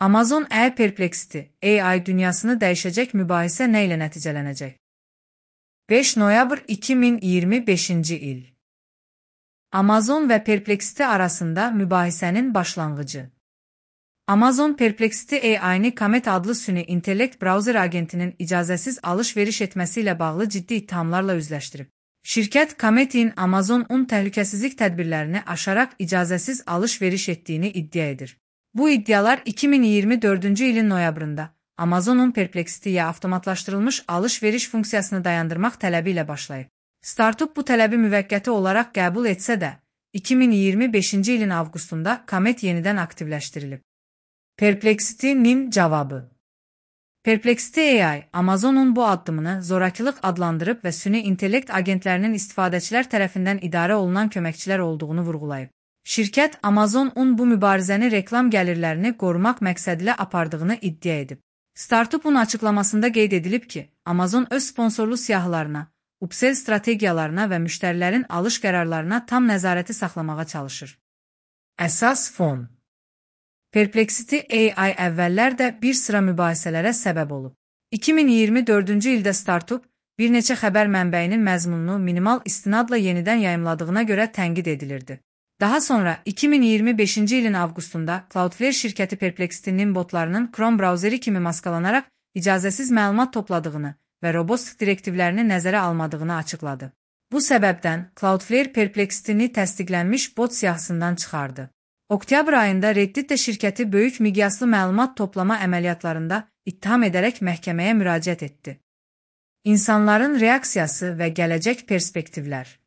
Amazon Perplexity AI dünyasını dəyişəcək mübahisə nə ilə nəticələnəcək? 5 noyabr 2025-ci il. Amazon və Perplexity arasında mübahisənin başlanğıcı. Amazon Perplexity AI-ni Comet adlı süni intellekt browser agentinin icazəsiz alış-veriş etməsi ilə bağlı ciddi ittihamlarla üzləşdirib. Şirkət Comet'in Amazon təhlükəsizlik tədbirlərini aşaraq icazəsiz alış-veriş etdiyini iddia edir. Bu iddialar 2024-cü ilin noyabrında Amazon'un Perplexity'yə avtomatlaşdırılmış alış-veriş funksiyasını dayandırmaq tələbi ilə başlayıb. Startup bu tələbi müvəqqəti olaraq qəbul etsə də, 2025-ci ilin avqustunda Comet yenidən aktivləşdirilib. Perplexity-nin cavabı. Perplexity AI, Amazon'un bu addımını zorakılıq adlandırıb və süni intellekt agentlərinin istifadəçilər tərəfindən idarə olunan köməkçilər olduğunu vurğulayıb. Şirkət Amazon bu mübarizəni reklam gəlirlərini qorumaq məqsədilə apardığını iddia edib. Startup'un açıqlamasında qeyd edilib ki, Amazon öz sponsorlu siyahılarına, upsell strategiyalarına və müştərilərin alış qərarlarına tam nəzarəti saxlamağa çalışır. Əsas fon. Perplexity AI əvvəllər də bir sıra mübahisələrə səbəb olub. 2024-cü ildə Startup bir neçə xəbər mənbəyinin məzmununu minimal istinadla yenidən yayımladığına görə tənqid edilirdi. Daha sonra 2025-ci ilin avqustunda Cloudflare şirkəti Perplexity'nin botlarının Chrome brauzeri kimi maskalanaraq icazəsiz məlumat topladığını və robust direktivlərini nəzərə almadığını açıqladı. Bu səbəbdən Cloudflare Perplexity'ni təsdiqlənmiş bot siyahısından çıxardı. Oktyabr ayında Reddit də şirkəti böyük miqyaslı məlumat toplama əməliyyatlarında ittiham edərək məhkəməyə müraciət etdi. İnsanların reaksiyası və gələcək perspektivlər.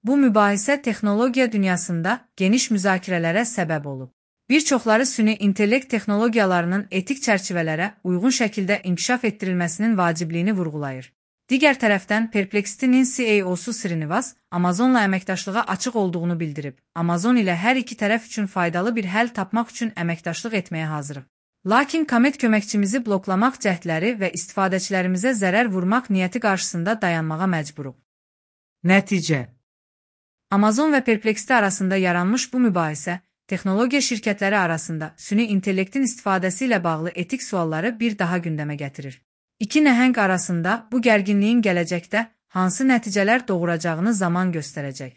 Bu mübahisə texnologiya dünyasında geniş müzakirələrə səbəb olub. Bir çoxları süni intellekt texnologiyalarının etik çərçivələrə uyğun şəkildə inkişaf etdirilməsinin vacibliyini vurğulayır. Digər tərəfdən Perplexity'nin CEO-su Srinivas Amazonla əməkdaşlığa açıq olduğunu bildirib. Amazon ilə hər iki tərəf üçün faydalı bir həll tapmaq üçün əməkdaşlıq etməyə hazırıq. Lakin Comet köməkçimizi bloklamaq cəhdləri və istifadəçilərimizə zərər vurmaq niyyəti qarşısında dayanmağa məcburuq. Nəticə. Amazon və Perplexity arasında yaranmış bu mübahisə, texnologiya şirkətləri arasında süni intellektin istifadəsi ilə bağlı etik sualları bir daha gündəmə gətirir. İki nəhəng arasında bu gərginliyin gələcəkdə hansı nəticələr doğuracağını zaman göstərəcək.